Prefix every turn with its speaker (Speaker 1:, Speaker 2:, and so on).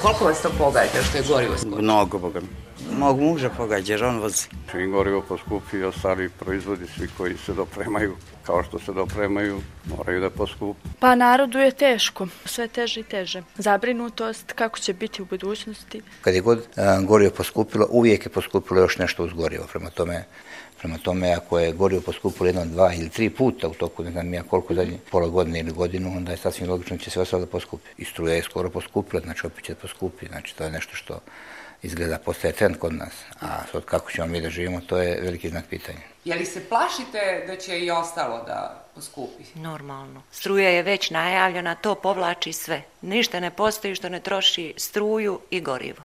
Speaker 1: Koliko vas to pogađa što je gorivo skočilo?
Speaker 2: Mnogo, Boga mi. Mog muža pogađa jer on vozi.
Speaker 3: Čim gorivo poskupi, ostali proizvodi svi koji se dopremaju, kao što se dopremaju, moraju da poskupi.
Speaker 4: Pa narodu je teško, sve teže i teže. Zabrinutost kako će biti u budućnosti.
Speaker 5: Kad je god gorivo poskupilo, uvijek je poskupilo još nešto uz gorivo. Prema tome, ako je gorivo poskupilo 1, 2 ili 3 puta u toku, ne znam ja koliko zadnje, pola godine ili godinu, onda je sasvim logično da će sve ostalo da poskupi. I struja je skoro poskupila, znači opet će poskupi. Znači to je nešto što izgleda postaje trend kod nas. A sad kako ćemo mi da živimo, to je veliki znak pitanja.
Speaker 1: Je li se plašite da će i ostalo da poskupi?
Speaker 6: Normalno. Struja je već najavljena, to povlači sve. Ništa ne postoji što ne troši struju i gorivo.